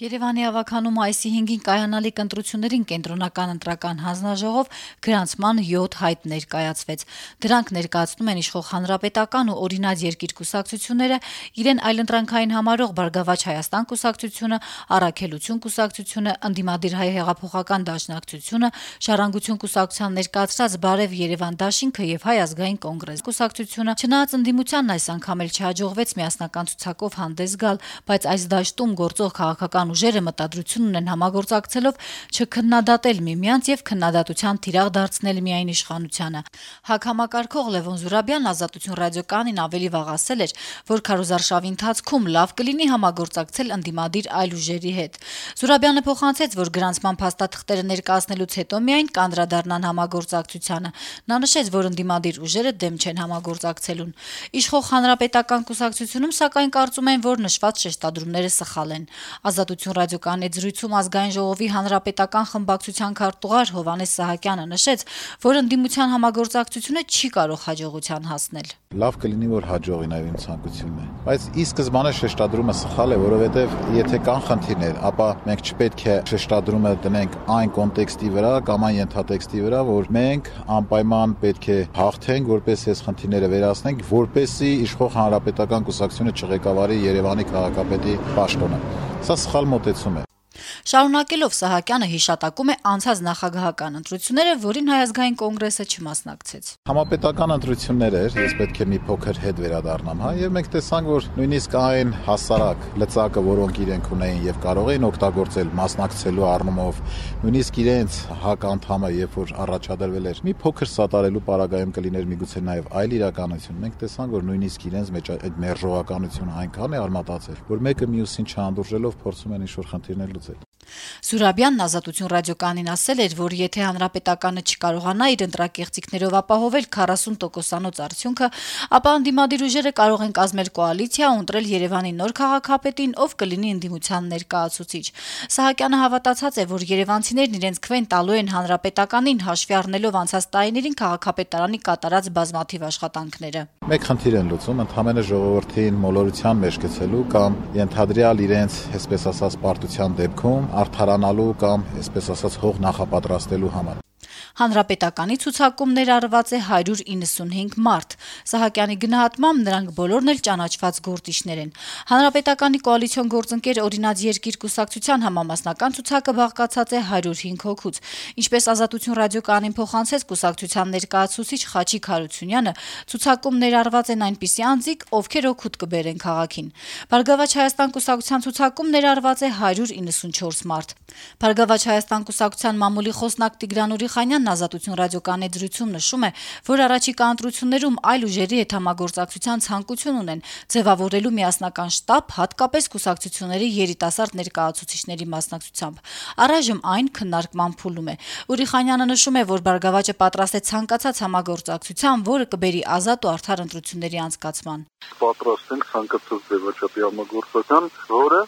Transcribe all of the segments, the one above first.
Երևանի ավագանում այսի 5-ին կայանալիք ընտրություններին կենտրոնական ընտրական հանձնաժողով գրանցման 7 հայտ ներկայացվեց։ Դրանք ներկայացնում են իշխող Հանրապետական ու Օրինաց երկիր կուսակցությունները, իրեն այլընտրանքային համարող Բարգավաճ Հայաստան կուսակցությունը, Առաքելություն կուսակցությունը, Ընդդիմադիր հայ հեղափոխական դաշնակցությունը, Ժառանգություն կուսակցության ներկայացրած Բարև Երևան դաշինքը եւ Հայ ազգային կոնգրես կուսակցությունը։ Չնայած ընդդիմությանն այս անգամ էլ չհաջողվեց միասնական ցուցակով հանդես գալ, բայց այս դաշտում գործող քաղաքական ուժերը մտադրություն ունեն համագործակցելով չքննադատել միմյանց եւ քննադատության թիրախ դարձնել միայն իշխանությանը։ ՀԱԿ համակարգող Լևոն Զուրաբյանն Ազատություն ռադիոկայանին ավելի վաղ ասել էր, որ քարոզարշավի ընթացքում լավ կլինի համագործակցել ընդդիմադիր այլ ուժերի հետ։ Զուրաբյանը փոխանցեց, որ գրանցման փաստաթղթերը ներկայացնելուց հետո միայն կանդրադառնան համագործակցությանը։ Նա նշեց, որ ընդդիմադիր ուժերը դեմ չեն համագործակցելուն։ Իշխող Հանրապետական կուսակցությունում սակայն կարծում են, որ նշված շեշտադրումները սխալ են։ Ազատություն ռադիոկայանի զրույցում Ազգային ժողովի հանրապետական խմբակցության քարտուղար Հովհաննես Սահակյանը նշեց, որ ընդդիմության համագործակցությունը չի կարող հաջողության հասնել։ Լավ կլինի, որ հաջողի նաև իմ ցանկությունն է, բայց ի սկզբանե շեշտադրումը սխալ է, որովհետև եթե կան խնդիրներ, ապա մենք չպետք է շեշտադրումը դնենք այն կոնտեքստի վրա կամ այն ենթատեքստի վրա, որ մենք անպայման պետք է հաղթենք, որպեսզի այս խնդիրները վերացնենք, որպեսզի իշխող Հանրապետական կուսակցությունը չղեկավարի Երևանի քաղաքապետի պաշտոնը։ Սա սխալ մոտեցում է։ Շարունակելով Սահակյանը հիշատակում է անցած նախագահական ընտրությունները, որին Հայ ազգային կոնգրեսը չմասնակցեց։ Համապետական ընտրություններ էր, ես պետք է մի փոքր հետ վերադառնամ, եւ մենք տեսանք, որ նույնիսկ այն հասարակ լծակը, որոնք իրենք ունեին եւ կարող էին օգտագործել մասնակցելու առումով, նույնիսկ իրենց ՀԱԿ անդամը, երբ որ առաջադրվել էր, մի փոքր սատարելու պարագայում կլիներ միգուցե նաեւ այլ իրականություն։ Մենք տեսանք, որ նույնիսկ իրենց մեջ այդ մերժողականությունը այնքան է արմատացել, որ մեկը մյուսին չհանդուրժելով փորձում են ինչ-որ խնդիրներ լուծել։ Զուրաբյանն Ազատություն ռադիոկայանին ասել էր, որ եթե Հանրապետականը չկարողանա իր ընտրակեղծիքներով ապահովել 40%-անոց արդյունքը, ապա ընդդիմադիր ուժերը կարող են կազմել կոալիցիա ու ընտրել Երևանի նոր քաղաքապետին, ով կլինի ընդդիմության ներկայացուցիչ։ Սահակյանը հավատացած է, որ երևանցիներն իրենց քվեն տալու են Հանրապետականին, հաշվի առնելով անցած տարիներին քաղաքապետարանի կատարած բազմաթիվ աշխատանքները։ Մեկ խնդիր են լուծում, ընդհանրապես ժողովրդին մոլորության մեջ գցելու կամ ենթադրյալ իրենց, այսպես ասած, պարտության դեպքում արդարանալու կամ, այսպես ասած, հող նախապատրաստելու համար։ Հանրապետականի ցուցակում ներառված է 195 մարդ։ Սահակյանի գնահատմամբ նրանք բոլորն էլ ճանաչված գործիչներ են։ Հանրապետականի կոալիցիոն գործընկեր Օրինաց երկիր կուսակցության համամասնական ցուցակը բաղկացած է 105 հոգուց։ Ինչպես Ազատություն ռադիոկայանին փոխանցեց կուսակցության ներկայացուցիչ Խաչիկ Հարությունյանը, ցուցակում ներառված են այնպիսի անձիկ, ովքեր օգուտ կբերեն քաղաքին։ Բարգավաճ Հայաստան կուսակցության ցուցակում ներառված է 194 մարդ։ Բարգավաճ Հայաստան կուսակցության մամուլի խոսնակ Տիգրան Ուրիխանյանն Ազատություն ռադիոկայանի զրույցում նշում է, որ առաջիկա ընտրություններում այլ ուժերի հետ համագործակցության ցանկություն ունեն ձևավորելու միասնական շտաբ, հատկապես կուսակցությունների երիտասարդ ներկայացուցիչների մասնակցությամբ։ Առայժմ այն քննարկման փուլում է։ Ուրիխանյանը նշում է, որ Բարգավաճը պատրաստ է ցանկացած համագործակցության, որը կբերի ազատ ու արդար ընտրությունների անցկացման։ Պատրաստ ենք ցանկացած ձևաչափի համագործակցության, որը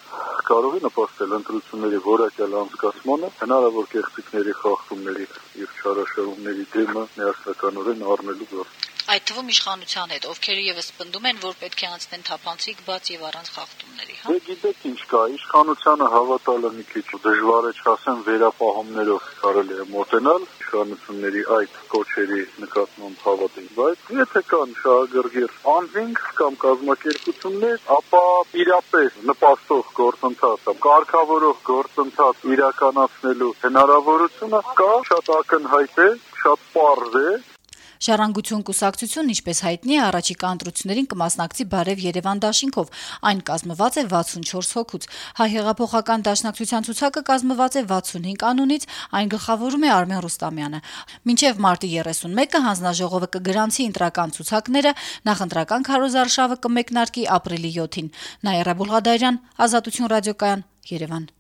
կարող է նպաստել ընտրությունների որակյալ անցկացմանը, հնարավոր կեղծիքների խախտումների եւ չարաշահումների դեմը միասնականորեն առնելու գործ։ Այդ թվում իշխանության հետ, ովքեր եւս պնդում են, որ պետք է անցնեն թափանցիկ, բաց եւ առանց խախտումների, հա։ Դե գիտեք ինչ կա, իշխանությանը հավատալը մի քիչ դժվար է, չասեմ վերապահումներով կարելի է մոտենալ իշխանությունների այդ կոչերի նկատմամբ հավատին, բայց եթե կան շահագրգիռ անձինք կամ կազմակերպություններ, ապա իրապես նպաստող գործընթաց, կարգավորող գործընթաց իրականացնելու հնարավորությունը կա, շատ ակնհայտ է, շատ պարզ է։ Ժառանգություն կուսակցությունն, ինչպես հայտնի է, առաջիկա ընտրություններին կմասնակցի Բարև Երևան դաշինքով։ Այն կազմված է 64 հոգուց։ Հայ հեղափոխական դաշնակցության ցուցակը կազմված է 65 անունից, այն գլխավորում է Արմեն Ռուստամյանը։ Մինչև մարտի 31-ը հանձնաժողովը կգրանցի ընտրական ցուցակները, նախընտրական քարոզարշավը կմեկնարկի ապրիլի 7-ին։ Նաիրա Բուլղադարյան, Ազատություն ռադիոկայան, Երևան։